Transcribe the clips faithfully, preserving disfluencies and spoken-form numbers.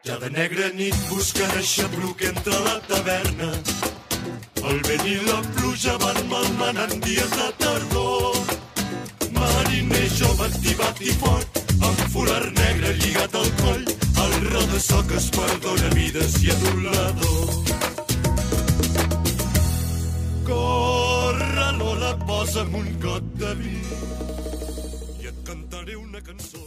Cada negra nit buscant aixapluc entre la taverna. El vent i la pluja van malmenant dies de tardor. Mariner jove activat i fort, amb folar negre lligat al coll, el rodassó que es perdona vides i adulador. Corre, Lola, posa'm un got de vi i et cantaré una cançó.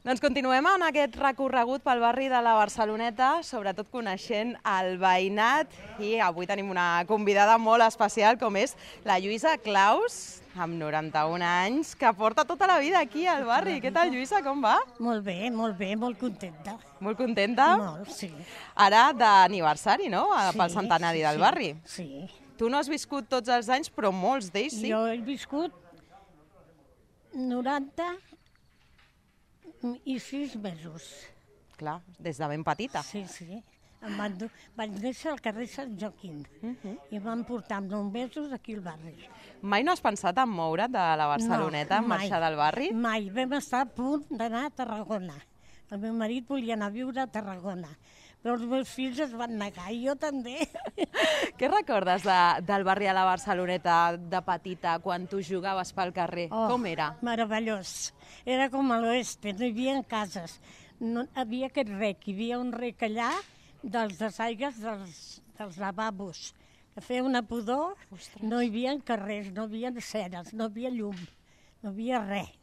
Doncs continuem en aquest recorregut pel barri de la Barceloneta, sobretot coneixent el veïnat, i avui tenim una convidada molt especial com és la Lluïsa Claus, amb noranta-un anys, que porta tota la vida aquí al barri. Què tal, Lluïsa, com va? Molt bé, molt bé, molt contenta. Molt contenta? Molt, sí. Ara d'aniversari, no?, Sí, pel centenari del sí, barri. Sí. Tu no has viscut tots els anys, però molts d'ells sí. Jo he viscut noranta i sis mesos. Clar, des de ben petita. Sí, sí. Em van dur... Vaig néixer al carrer Sant Joaquim i em van portar amb nou mesos aquí al barri. Mai no has pensat en moure't de la Barceloneta, en mai, marxar del barri? Mai. Vam estar a punt d'anar a Tarragona. El meu marit volia anar a viure a Tarragona, però els meus fills es van negar, i jo també. Què recordes de, del barri a la Barceloneta de petita, quan tu jugaves pel carrer? Oh, Com era? Meravellós. Era com a l'oeste, no hi havia cases. No, hi havia aquest rec, hi havia un rec allà dels desaigues dels, dels lavabos, que feia una pudor. Ostres. No hi havia carrers, no hi havia ceres, no hi havia llum, no hi havia res,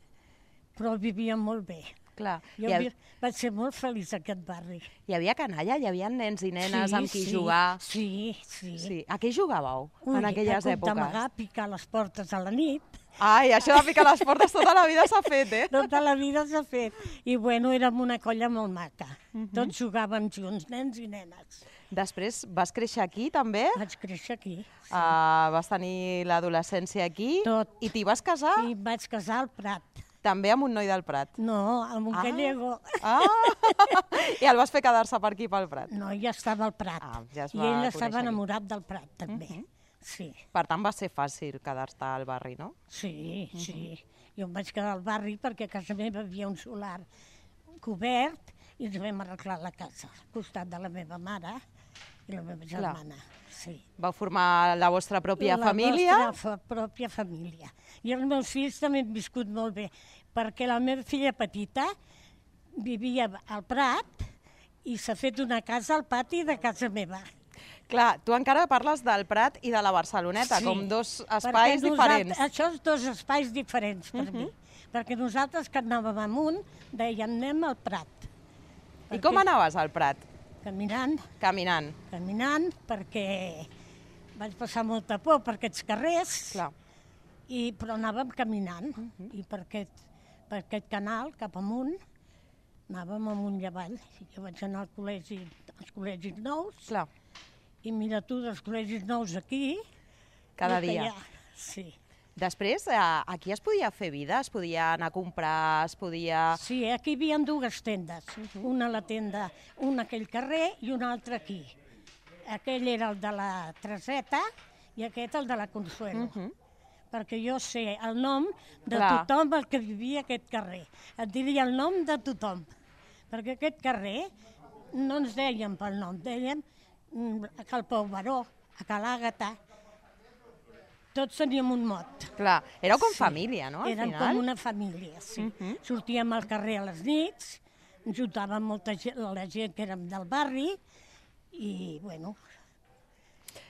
però vivíem molt bé. Clar. Jo ha... havia, vaig ser molt feliç a aquest barri. Hi havia canalla? Hi havia nens i nenes sí, amb qui sí, jugar? Sí, sí. sí. A què jugàveu Ui, en aquelles a èpoques? D'amagar, picar les portes a la nit. Ai, això de picar les portes tota la vida s'ha fet, eh? Tota la vida s'ha fet. I bueno, érem una colla molt maca. Uh -huh. Tots jugàvem junts, nens i nenes. Després vas créixer aquí, també? Vaig créixer aquí. Sí. Uh, vas tenir l'adolescència aquí? Tot. I t'hi vas casar? I vaig casar al Prat. També amb un noi del Prat? No, amb un ah. gallego. Ah. I el vas fer quedar-se per aquí, pel Prat? No, ja estava al Prat. Ah, ja I ell estava enamorat del Prat, també. Uh -huh. Sí. Per tant, va ser fàcil quedar-te al barri, no? Sí, uh -huh. sí. Jo em vaig quedar al barri perquè a casa meva hi havia un solar cobert i ens vam arreglar la casa al costat de la meva mare i la meva germana. Sí. Vau formar la vostra pròpia la família? La nostra pròpia família. I els meus fills també han viscut molt bé, perquè la meva filla petita vivia al Prat i s'ha fet una casa al pati de casa meva. Clar, tu encara parles del Prat i de la Barceloneta, sí, com dos espais diferents. Això és dos espais diferents per uh -huh. mi, perquè nosaltres que anàvem amunt dèiem anem al Prat. I com anaves al Prat? Caminant. Caminant. Caminant, perquè vaig passar molta por per aquests carrers, clar. I, però anàvem caminant, uh -huh. i per aquest, per aquest canal, cap amunt, anàvem amunt i avall. Jo vaig anar al col·legi, als col·legis nous, clar. I mira tu, dels col·legis nous aquí... Cada dia. Ja, sí. Després, aquí es podia fer vida? Es podia anar a comprar, es podia... Sí, aquí hi havia dues tendes. Uh -huh. Una a la tenda, una a aquell carrer i una altra aquí. Aquell era el de la Treseta i aquest el de la Consuelo. Uh -huh. Perquè jo sé el nom de clar. Tothom el que vivia a aquest carrer. Et diria el nom de tothom. Perquè aquest carrer no ens dèiem pel nom, dèiem a Cal Pau Baró, a Cal Àgata, tots teníem un mot. Clar, éreu com sí. família, no, al Érem final? com una família, sí. Uh -huh. Sortíem al carrer a les nits, ens juntàvem molta gent, la gent que érem del barri, i, bueno...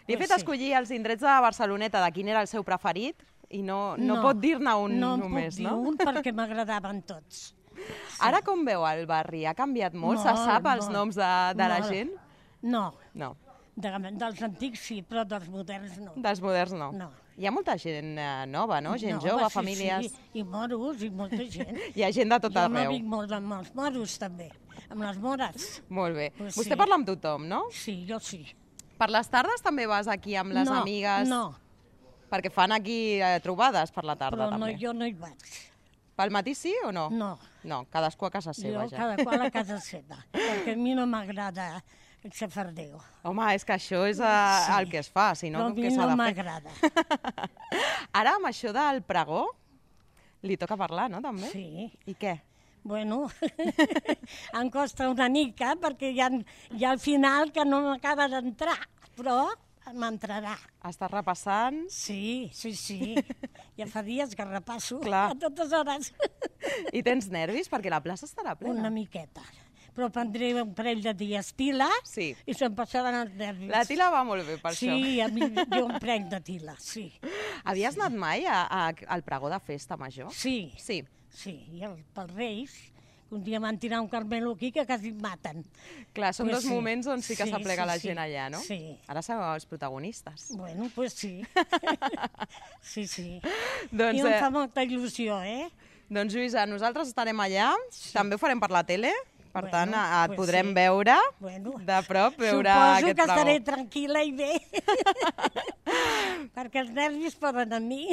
Li he fet sí. escollir els indrets de Barceloneta, de quin era el seu preferit, i no, no, no pot dir-ne un no només, no? No puc dir un perquè m'agradaven tots. Sí. Ara com veu el barri? Ha canviat molt? molt Se sap molt. els noms de, de la gent? No. No. De, dels antics sí, però dels moderns no. Dels moderns no. No. Hi ha molta gent eh, nova, no? Gent nova, jove, sí, famílies... Sí, i moros, i molta gent. Hi ha gent de tot jo arreu. Jo m'avic molt amb els moros, també, amb les mores. Molt bé. Pues Vostè sí. parla amb tothom, no? Sí, jo sí. Per les tardes també vas aquí amb les no, amigues? No, Perquè fan aquí eh, trobades per la tarda, però també. no, jo no hi vaig. Pel matí sí o no? No. No, cadascú a casa seva, jo, ja. cada qual a casa seva, perquè a mi no m'agrada el xafardeo. Home, és que això és a, sí. el que es fa, si no, però a què mi s'ha no de fer? m'agrada. Ara, amb això del pregó, li toca parlar, no, també? Sí. I què? Bueno, em costa una mica perquè hi ha, hi ha al final que no m'acaba d'entrar, però m'entrarà. Estàs repassant? Sí, sí, sí. Ja fa dies que repasso Clar. a totes hores. I tens nervis? Perquè la plaça estarà plena. Una miqueta. Però prendré un parell de dies tila Sí. i se'm passaran els nervis. La tila va molt bé per Sí, això. a mi jo em prenc de tila, sí. Havies anat mai a, a, al pregó de festa major? Sí, Sí. sí. I el, pels Reis, un dia van tirar un carmelo aquí que quasi em maten. Clar, són Pues dos sí. moments on sí que Sí, s'aplega sí, la sí. gent allà, no? Sí. Ara sou els protagonistes. Bueno, pues sí. Sí, sí. Doncs, I em eh, fa molta il·lusió, eh? doncs Lluïsa, nosaltres estarem allà, també ho farem per la tele, per Bueno, tant eh, et pues podrem sí. veure Bueno, de prop, veure suposo aquest que estaré pregó. tranquil·la i bé. Perquè els nervis poden a mi.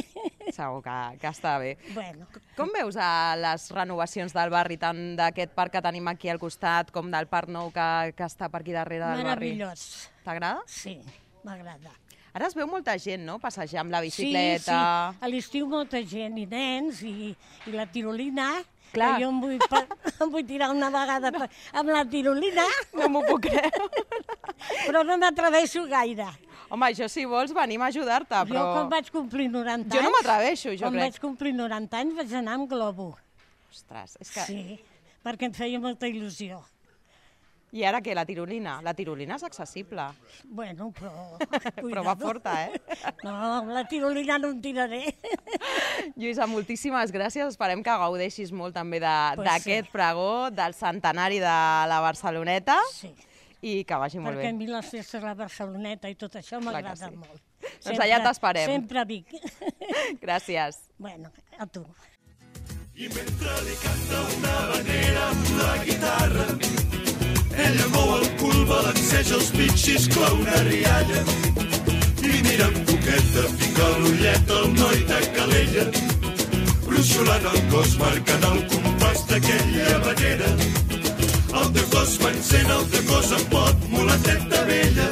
Segur que, que està bé. Bueno, Com veus a les renovacions del barri, tant d'aquest parc que tenim aquí al costat com del parc nou que, que està per aquí darrere del barri? meravellós. T'agrada? Sí, m'agrada. Ara es veu molta gent, no?, passejar amb la Sí, sí, bicicleta. a l'estiu molta gent, i nens, i, i la tirolina, Clar. que jo em vull, pa- em vull tirar una vegada per, amb la tirolina, No m'ho puc creure. però no m'atreveixo gaire. Home, jo si vols venim a ajudar-te, Jo però... quan vaig complir noranta Jo anys... no m'atreveixo, jo quan crec. vaig complir noranta anys vaig anar amb globo. Ostres, és que... Sí, perquè em feia molta il·lusió. I ara què, la tirolina? La tirolina és accessible, Bueno, però... però va cuidado. forta, eh? No, amb la tirolina no em tiraré. Lluïsa, moltíssimes gràcies. Esperem que gaudeixis molt també de- Pues d'aquest sí. pregó, del centenari de la Barceloneta, Sí, i que vagi molt perquè a bé. mi les festes de la Barceloneta i tot això Clar que m'agrada sí. molt. Doncs allà t'esperem. Sempre vic. Gràcies. Bueno, a tu. I mentre li canta una vanera amb la guitarra, ella mou el cul, balanceja els pitxis com una rialla i mira amb coqueta, fica l'ullet al noi de Calella, bruixolant el cos, marcant el compàs d'aquella manera. El teu cos m'encén, el teu cos em pot, mulateta vella.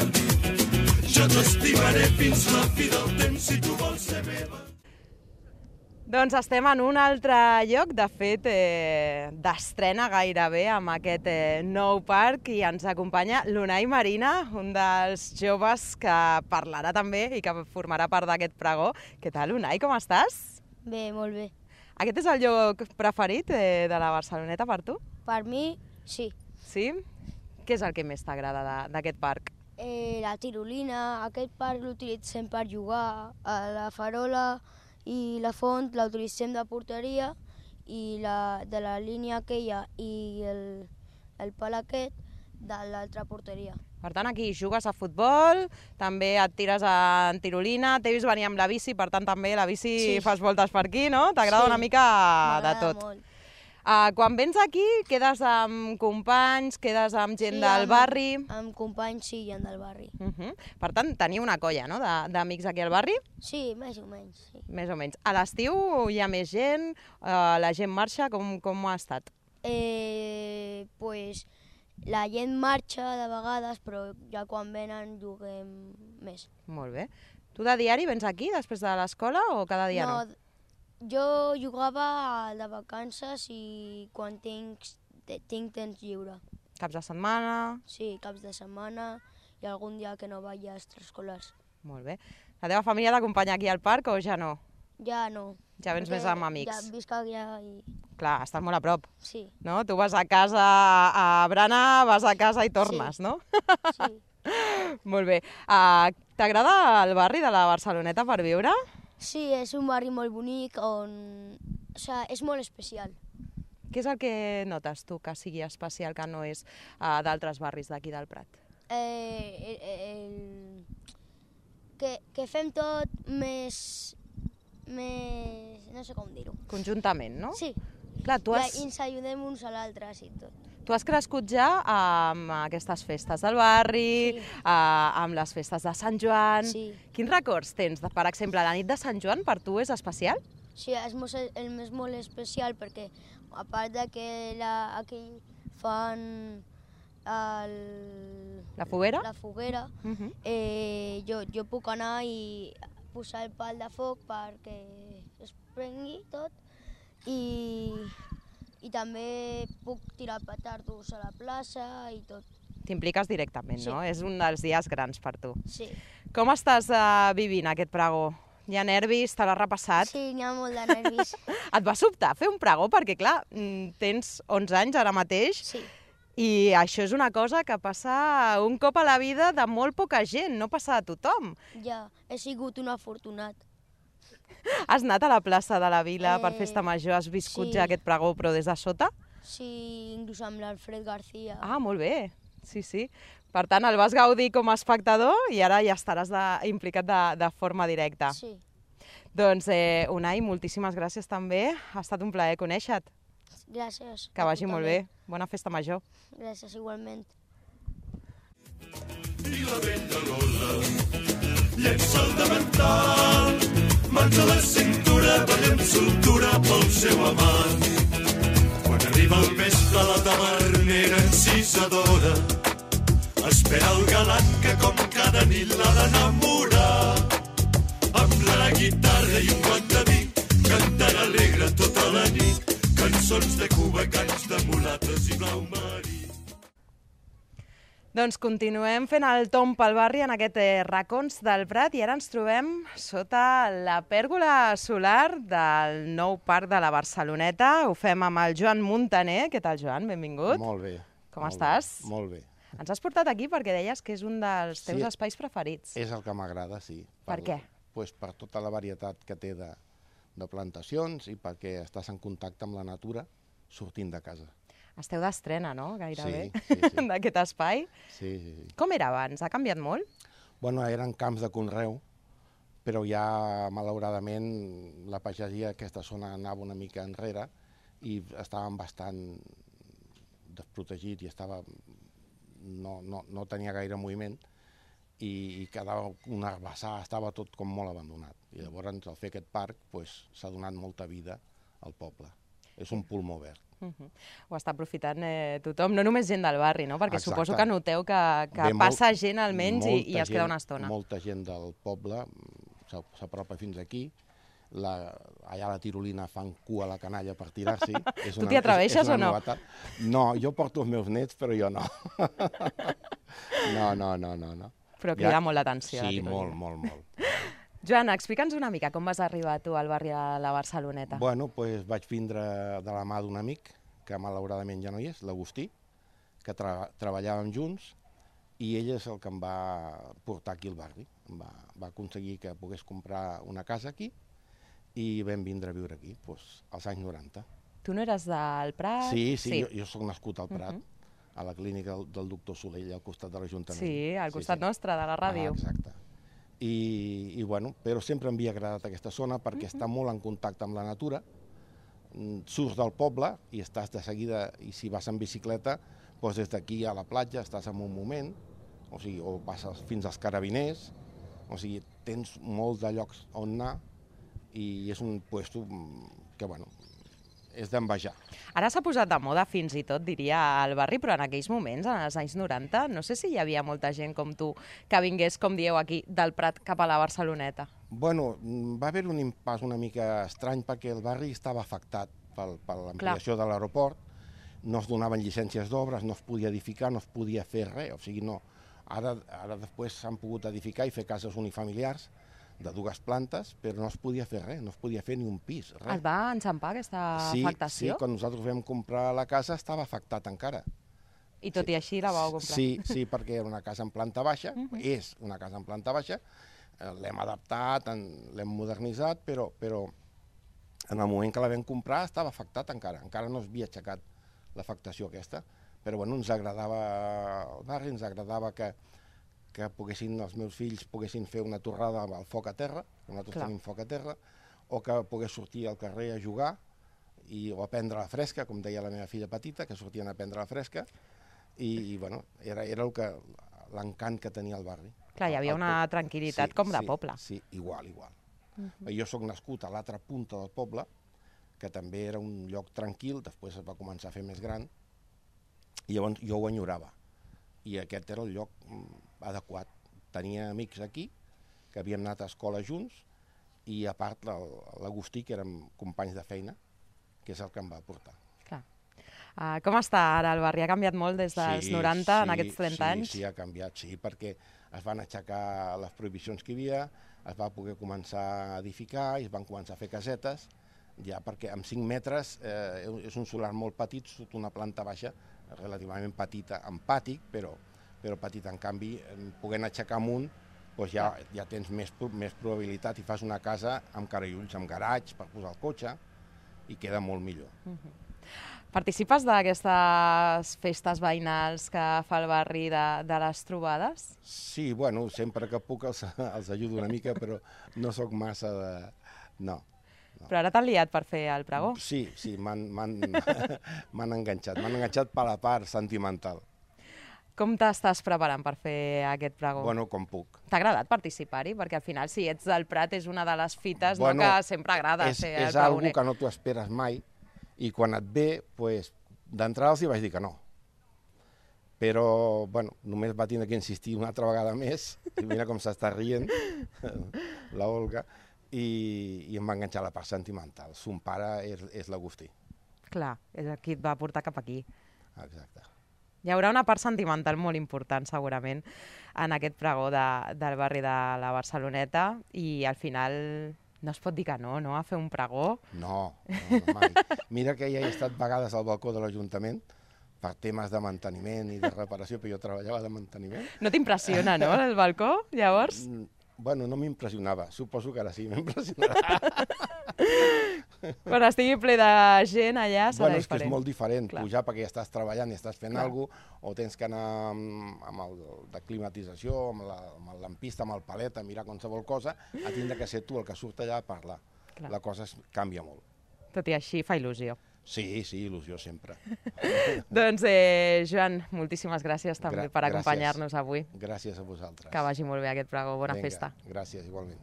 Jo t'estimaré fins la fi del temps si tu vols ser meva. Doncs estem en un altre lloc, de fet, eh, d'estrena gairebé amb aquest eh, nou parc, i ens acompanya l'Unai Marina, un dels joves que parlarà també i que formarà part d'aquest pregó. Què tal, Unai, com estàs? Bé, molt bé. Aquest és el lloc preferit eh, de la Barceloneta per tu? Per mi, sí. Sí? Què és el que més t'agrada de- d'aquest parc? Eh, la tirolina, aquest parc l'utilitzem per jugar, a la farola i la font la utilitzem de porteria, i la, de la línia aquella i el, el pal aquest de l'altra porteria. Per tant, aquí jugues a futbol, també et tires en tirolina, t'he vist venir amb la bici, per tant també la bici Sí. fas voltes per aquí, no? T'agrada Sí, una mica de M'agrada tot. molt. Uh, quan vens aquí, quedes amb companys, quedes amb gent Sí, del amb- barri... Amb companys, sí, i en del barri. Uh -huh. Per tant, teniu una colla, no?, de- d'amics aquí al barri, Sí, més o menys, sí. més o menys. A l'estiu hi ha més gent, uh, la gent marxa, com, com ha estat? Eh, pues, la gent marxa de vegades, però ja quan venen juguem més. Molt bé. Tu de diari vens aquí, després de l'escola, o cada dia no? No, jo jugava de vacances i quan tinc, te- tinc temps lliure. Caps de setmana... Sí, caps de setmana i algun dia que no vaig a extraescolars. Molt bé. La teva família t'acompanya aquí al parc o ja no? Ja no. Ja vens perquè més amb amics. Ja visc allà i... Clar, estàs molt a prop, Sí, no? Tu vas a casa a Brana, vas a casa i tornes, Sí. no? sí. Molt bé. Uh, T'agrada el barri de la Barceloneta per viure? Sí, és un barri molt bonic on... O sigui, és molt especial. Què és el que notes tu que sigui especial, que no és uh, d'altres barris d'aquí del Prat? Eh, el, el, que, que fem tot més... més... no sé com dir-ho. Conjuntament, no? Sí, Clar, tu ja, has, i ens ajudem uns a l'altre i tot. tu has crescut ja amb aquestes festes del barri, Sí. uh, amb les festes de Sant Joan... Sí. Quins records tens? De, per exemple, la nit de Sant Joan per tu és especial? Sí, és molt, el més molt especial perquè a part de que la, aquí fan el, La foguera? la foguera, Uh -huh. eh, jo, jo puc anar i posar el pal de foc perquè es prengui tot i, I també puc tirar petardos a la plaça i tot. T'impliques directament, Sí. no? És un dels dies grans per tu. Sí. Com estàs uh, vivint aquest pregó? Hi ha nervis? Te l'has repassat? Sí, n'hi ha molt de nervis. Et va sobtar fer un pregó? Perquè, clar, mm, tens onze anys ara mateix Sí. i això és una cosa que passa un cop a la vida de molt poca gent, no passa a tothom. Ja, he sigut un afortunat. Has anat a la plaça de la Vila per Eh, Festa Major, has viscut sí. ja aquest pregó, però des de sota? Sí, inclús amb l'Alfred García. Ah, molt bé, sí, sí. Per tant, el vas gaudir com a espectador i ara ja estaràs de, implicat de, de forma directa. Sí. Doncs, eh, Unai, moltíssimes gràcies també. Ha estat un plaer conèixer-te. Gràcies. Que vagi molt bé. Bona Festa Major. Gràcies, igualment. I la vella Lola llença el davantal, mans a la cintura, balla amb soltura pel seu amant. Quan arriba el vespre la tavernera encisadora espera el galant que com cada nit l'ha d'enamorar. Amb la guitarra i un guant de vi cantarà alegre tota la nit cançons de Cuba, cants de mulates i blau marí. Doncs continuem fent el tomb pel barri en aquest eh, racons del Prat i ara ens trobem sota la pèrgola solar del nou parc de la Barceloneta. Ho fem amb el Joan Muntaner. Què tal, Joan? Benvingut. Molt bé. Com molt estàs? Bé, molt bé. Ens has portat aquí perquè deies que és un dels teus Sí. espais preferits. És el que m'agrada, sí. Per què? Pues per tota la varietat que té de, de plantacions i perquè estàs en contacte amb la natura sortint de casa. Esteu d'estrena, no? Gairebé, Sí, sí, sí. d'aquest espai. Sí, sí, sí. Com era abans? Ha canviat molt? Bueno, eren camps de conreu, però ja, malauradament, la pagesia aquesta zona anava una mica enrere i estàvem bastant desprotegits i estava, no, no, no tenia gaire moviment i, i quedava un herbassar, estava tot com molt abandonat. I llavors, al fer aquest parc, pues, s'ha donat molta vida al poble. És un pulmó verd. Uh -huh. Ho està aprofitant eh, tothom, no només gent del barri, no? Perquè Exacte. suposo que noteu que, que Ve passa molt- gent almenys i, i molta es queda gent- una estona. Molta gent del poble s'a- s'apropa fins aquí. La, allà a la Tirolina fan cua a la canalla per tirar-s'hi. És Tu una- t'hi atreveixes és- és una o no? novetat. No, jo porto els meus nets, però jo no. No, no, no, no. no. Però crida molt l'atenció, la Sí, Tirolina. molt, molt, molt. Joan, explica'ns una mica com vas arribar tu al barri de la Barceloneta. Bueno, pues vaig vindre de la mà d'un amic, que malauradament ja no hi és, l'Agustí, que tra treballàvem junts, i ell és el que em va portar aquí al barri. Em va, va aconseguir que pogués comprar una casa aquí i vam vindre a viure aquí, doncs, als anys noranta. Tu no eres del Prat? Sí, sí, sí. Jo, jo sóc nascut al Prat, Uh -huh. a la clínica del, del doctor Solell, al costat de l'Ajuntament. Sí, al costat nostre, de la ràdio. Ah, exacte. I, i bueno, però sempre em havia agradat aquesta zona perquè uh -huh. està molt en contacte amb la natura, mm, surts del poble i estàs de seguida, i si vas en bicicleta, doncs des d'aquí a la platja estàs en un moment, o sigui, o passes fins als Carabiners, o sigui, tens molts de llocs on anar i és un puesto que, bueno, és d'envejar. Ara s'ha posat de moda fins i tot, diria, al barri, però en aquells moments, en els anys noranta, no sé si hi havia molta gent com tu que vingués, com dieu aquí, del Prat cap a la Barceloneta. Bueno, va haver un impàs una mica estrany perquè el barri estava afectat pel, per l'ampliació de l'aeroport, no es donaven llicències d'obres, no es podia edificar, no es podia fer res, o sigui, no. Ara, ara després s'han pogut edificar i fer cases unifamiliars de dues plantes, però no es podia fer res, no es podia fer ni un pis, res. Es va enxampar aquesta sí, afectació? Sí, quan nosaltres vam comprar la casa estava afectat encara. I tot sí. i així la vau comprar? Sí, sí, perquè era una casa en planta baixa, uh -huh. és una casa en planta baixa, l'hem adaptat, l'hem modernitzat, però, però en el moment que la vam comprar estava afectat encara, encara no s'havia aixecat l'afectació aquesta, però bueno, ens agradava el barri, ens agradava que, que poguessin, els meus fills poguessin fer una torrada al foc a terra, nosaltres Clar. tenim foc a terra, o que pogués sortir al carrer a jugar i, o a prendre la fresca, com deia la meva filla petita, que sortien a prendre la fresca, i, i bueno, era, era el que l'encant que tenia el barri. Clar, hi havia una tranquil·litat com de poble. Sí, igual, igual. Uh-huh. Jo sóc nascut a l'altra punta del poble, que també era un lloc tranquil, després es va començar a fer més gran, i llavors jo ho enyorava. I aquest era el lloc adequat. Tenia amics aquí, que havíem anat a escola junts, i a part l'Agustí, que érem companys de feina, que és el que em va portar. Clar. Uh, com està ara el barri? Ha canviat molt des dels Sí, noranta, sí, en aquests trenta sí, anys? Sí, ha canviat, sí, perquè es van aixecar les prohibicions que hi havia, es va poder començar a edificar i es van començar a fer casetes, ja perquè amb cinc metres eh, és un solar molt petit, sota una planta baixa relativament petita, amb pati, però, però petita. En canvi, podent aixecar amunt, doncs ja, ja tens més, més probabilitat i fas una casa amb carallulls, amb garatge per posar el cotxe i queda molt millor. Uh-huh. Participes d'aquestes festes veïnals que fa el barri de, de les trobades? Sí, bueno, sempre que puc els, els ajudo una mica, però no sóc massa de... No. No. Però ara t'han liat per fer el pregó? Sí, sí, m'han enganxat. M'han enganxat per la part sentimental. Com t'estàs preparant per fer aquest pregó? Bueno, com puc. T'ha agradat participar-hi? Perquè al final, si ets del Prat, és una de les fites bueno, no, que sempre agrada és, ser el és algo pregoner. que no t'ho esperes mai i quan et ve, pues, d'entrada els hi vaig dir que no. Però, bueno, només va tenir que insistir una altra vegada més, i mira com s'està rient, la Olga, i, i em va enganxar la part sentimental. Son pare és, és l'Agustí. Clar, és qui et va portar cap aquí. Exacte. Hi haurà una part sentimental molt important, segurament, en aquest pregó de, del barri de la Barceloneta, i al final no es pot dir que no, no?, a fer un pregó. No, no, no mai. Mira que ja he estat vegades al balcó de l'Ajuntament per temes de manteniment i de reparació, però jo treballava de manteniment. No t'impressiona, no, el balcó, llavors? Bueno, no m'impressionava. Suposo que ara sí m'impressionarà. Quan estigui ple de gent allà serà bueno, és diferent. que és molt diferent. Clar. Pujar perquè ja estàs treballant i estàs fent Clar. alguna cosa, o tens que anar amb, amb el de climatització, amb, la, amb el lampista, amb el palet, a mirar qualsevol cosa, a tindre que ser tu el que surt allà a parlar. Clar. La cosa es canvia molt. Tot i així fa il·lusió. Sí, sí, il·lusió sempre. Doncs, eh, Joan, moltíssimes gràcies també Gra per gràcies. acompanyar-nos avui. Gràcies a vosaltres. Que vagi molt bé aquest pregó. Bona Vinga, festa. Gràcies, igualment.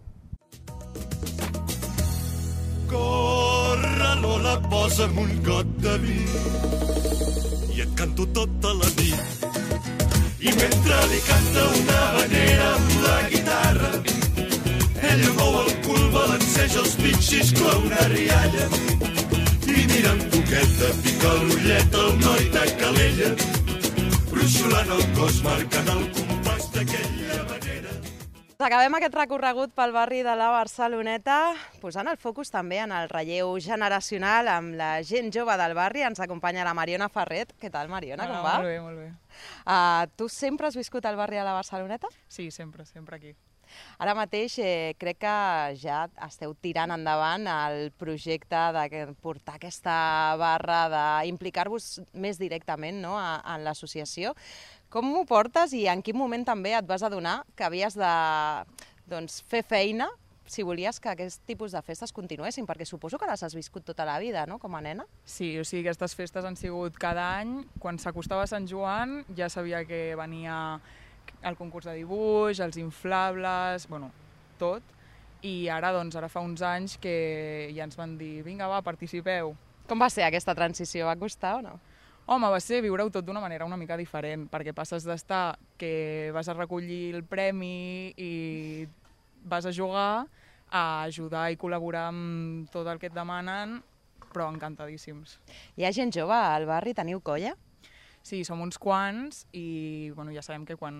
Corre, Lola, posa'm un got de vi i et canto tota la nit. I mentre li canta una habanera amb la guitarra, ella mou el cul, balanceja els pitxis com una rialla i mira amb toqueta, pica l'ullet al noi de Calella, bruixolant el cos, marcant el compàs d'aquella manera. Acabem aquest recorregut pel barri de la Barceloneta, posant el focus també en el relleu generacional amb la gent jove del barri. Ens acompanya la Mariona Ferret. Què tal, Mariona, com va? Molt bé, molt bé. Uh, tu sempre has viscut al barri de la Barceloneta? Sí, sempre, sempre aquí. Ara mateix eh, crec que ja esteu tirant endavant el projecte de portar aquesta barra, d'implicar-vos més directament, no?, a, en l'associació. Com ho portes i en quin moment també et vas adonar que havies de doncs, fer feina si volies que aquest tipus de festes continuessin? Perquè suposo que les has viscut tota la vida, no?, com a nena. Sí, o sigui, aquestes festes han sigut cada any. Quan s'acostava Sant Joan ja sabia que venia el concurs de dibuix, els inflables, bueno, tot. I ara, doncs, ara fa uns anys que ja ens van dir, vinga, va, participeu. Com va ser aquesta transició? Va costar o no? Home, va ser viure-ho tot d'una manera una mica diferent, perquè passes d'estar que vas a recollir el premi i vas a jugar, a ajudar i col·laborar amb tot el que et demanen, però encantadíssims. Hi ha gent jove al barri? Teniu colla? Sí, som uns quants i bueno, ja sabem que quan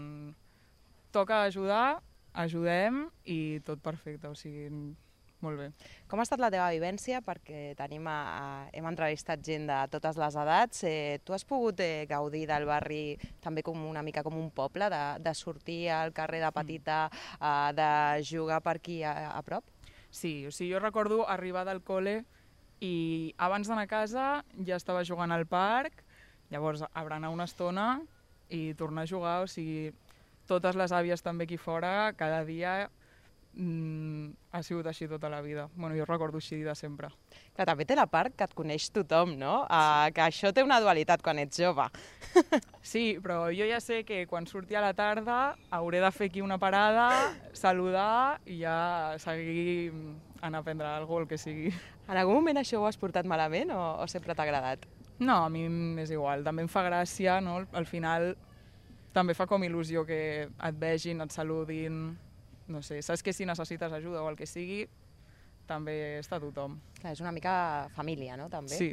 toca ajudar, ajudem i tot perfecte, o sigui, molt bé. Com ha estat la teva vivència? Perquè tenim a, a, hem entrevistat gent de totes les edats. Eh, tu has pogut eh, gaudir del barri també com una mica com un poble, de, de sortir al carrer de petita, eh, de jugar per aquí a, a prop? Sí, o sigui, jo recordo arribar del col·le i abans d'anar a casa ja estava jugant al parc. Llavors, a berenar una estona i tornar a jugar, o sigui, totes les àvies també aquí fora, cada dia mmm, ha sigut així tota la vida. Bueno, jo recordo així de sempre. Clar, també té la part que et coneix tothom, no? Sí. Uh, que això té una dualitat quan ets jove. Sí, però jo ja sé que quan surti a la tarda hauré de fer aquí una parada, saludar i ja seguir anar a prendre alguna cosa, el que sigui. En algun moment això ho has portat malament o, o sempre t'ha agradat? No, a mi és igual, també em fa gràcia, no? Al final també fa com il·lusió que et vegin, et saludin, no sé, saps que si necessites ajuda o el que sigui, també està tothom. Clar, és una mica família, no?, també. Sí.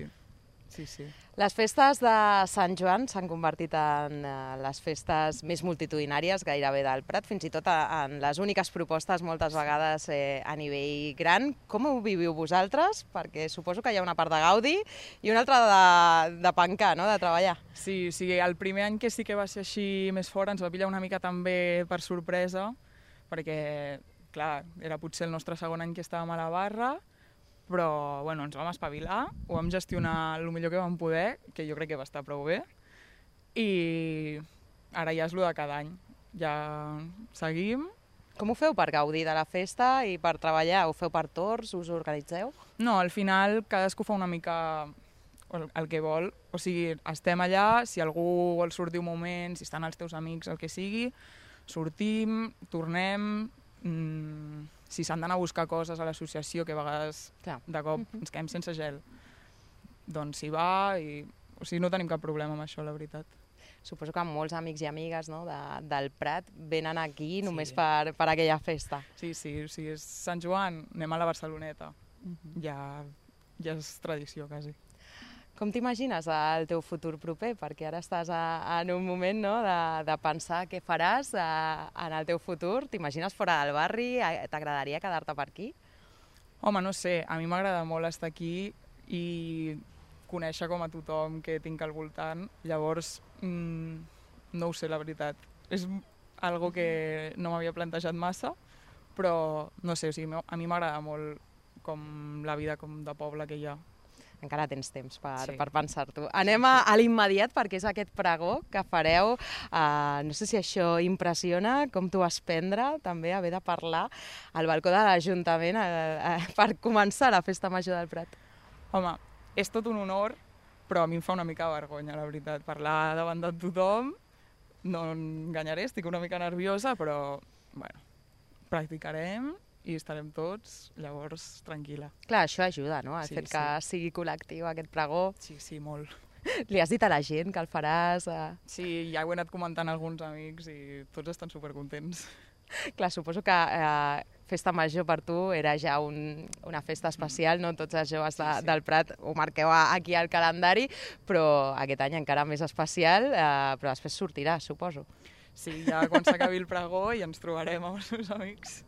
Sí, sí. Les festes de Sant Joan s'han convertit en eh, les festes més multitudinàries gairebé del Prat, fins i tot a, en les úniques propostes moltes vegades eh, a nivell gran. Com ho viviu vosaltres? Perquè suposo que hi ha una part de gaudi i una altra de, de pencar, no? De treballar. Sí, sí, el primer any que sí que va ser així més fort ens va pillar una mica també per sorpresa, perquè, clar, era potser el nostre segon any que estàvem a la barra, però bueno, ens vam espavilar, ho vam gestionar el millor que vam poder, que jo crec que va estar prou bé, i ara ja és el de cada any. Ja seguim. Com ho feu per gaudir de la festa i per treballar? Ho feu per torns? Us organitzeu? No, al final cadascú fa una mica el, el que vol. O sigui, estem allà, si algú vol sortir un moment, si estan els teus amics, el que sigui, sortim, tornem... Mmm, si s'han d'anar a buscar coses a l'associació, que a vegades Clar. de cop ens quedem sense gel, doncs s'hi va i... O sigui, no tenim cap problema amb això, la veritat. Suposo que molts amics i amigues, no, de, del Prat venen aquí només Sí. per, per aquella festa. Sí, sí, o sigui, és Sant Joan, anem a la Barceloneta. Ja, ja és tradició, quasi. Com t'imagines el teu futur proper? Perquè ara estàs a, en un moment, no, de, de pensar què faràs a, en el teu futur. T'imagines fora del barri? A- T'agradaria quedar-te per aquí? Home, no sé, a mi m'agrada molt estar aquí i conèixer com a tothom que tinc al voltant. Llavors, mmm, no ho sé, la veritat. És algo que no m'havia plantejat massa, però no sé, o sigui, a mi m'agrada molt com la vida com de poble que hi ha. Encara tens temps per, Sí. per pensar-t'ho. Anem a, a l'immediat, perquè és aquest pregó que fareu. Uh, no sé si això impressiona, com t'ho vas prendre, també haver de parlar al balcó de l'Ajuntament uh, uh, per començar la Festa Major del Prat. Home, és tot un honor, però a mi em fa una mica vergonya, la veritat. Parlar davant de tothom, no enganyaré, estic una mica nerviosa, però, bueno, practicarem i estarem tots, llavors, tranquil·la. Clar, això ajuda, no?, el Sí, fet que sí. sigui col·lectiu aquest pregó. Sí, sí, molt. Li has dit a la gent que el faràs? Uh... Sí, ja ho he anat comentant a alguns amics i tots estan supercontents. Clar, suposo que uh, Festa Major per tu era ja un, una festa especial, no? Tots els joves de, Sí, sí. del Prat ho marqueu a- aquí al calendari, però aquest any encara més especial, uh, però després sortirà, suposo. Sí, ja quan s'acabi el pregó i ens trobarem amb els meus amics.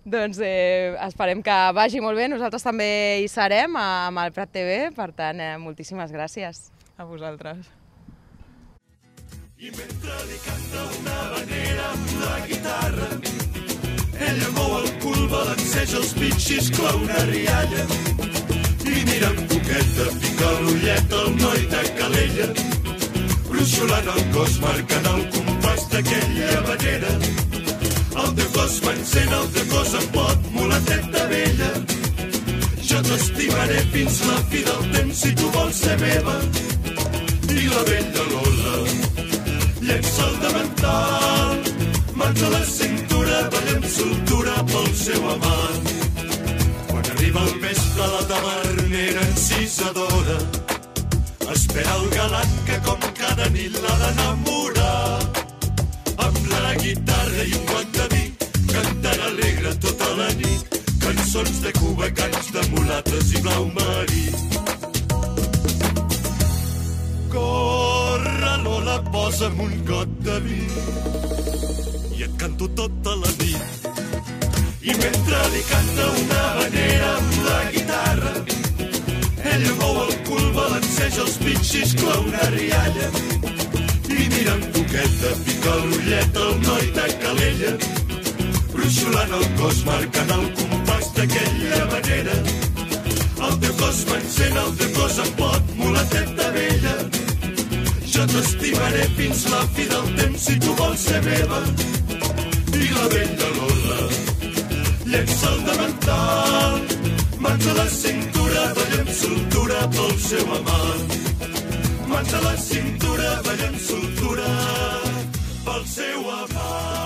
Doncs eh, esperem que vagi molt bé, nosaltres també hi serem amb el Prat T V, per tant, eh, moltíssimes gràcies. A vosaltres. I mentre li canta una vanera amb la guitarra, ella mou el cul, balanceja els pitxis, clau una rialla i mira amb coqueta, pica l'ullet al noi de Calella, bruixolant el cos, marcant el compàs d'aquella manera. El teu cos m'encén, el teu cos em pot, mulateta vella. Jo t'estimaré fins la fi del temps si tu vols ser meva. I la vella Lola llença el davantal, mans a la cintura, ballem soltura pel seu amant. Quan arriba el vespre la tavernera encisadora espera el galant que com cada nit l'ha d'enamorar. Amb la guitarra i un guant de vi cantant alegre tota la nit, cançons de Cuba, cants de mulates i blau marí. Corre, Lola, posa'm un got de vi i et canto tota la nit. I mentre li canta una vanera amb la guitarra, ella mou el cul, balanceja els pitxis, clau una rialla i mira amb coqueta, pica l'ullet al noi de Calella, bruixolant el cos, marcant el compàs d'aquella manera. El teu cos m'encén, el teu cos em pot, mulateta vella. Jo t'estimaré fins la fi del temps si tu vols ser meva. I la vella Lola llença el davantal, mans a la cintura, ballem soltura pel seu amant. Mans a la cintura, ballem soltura pel seu amant.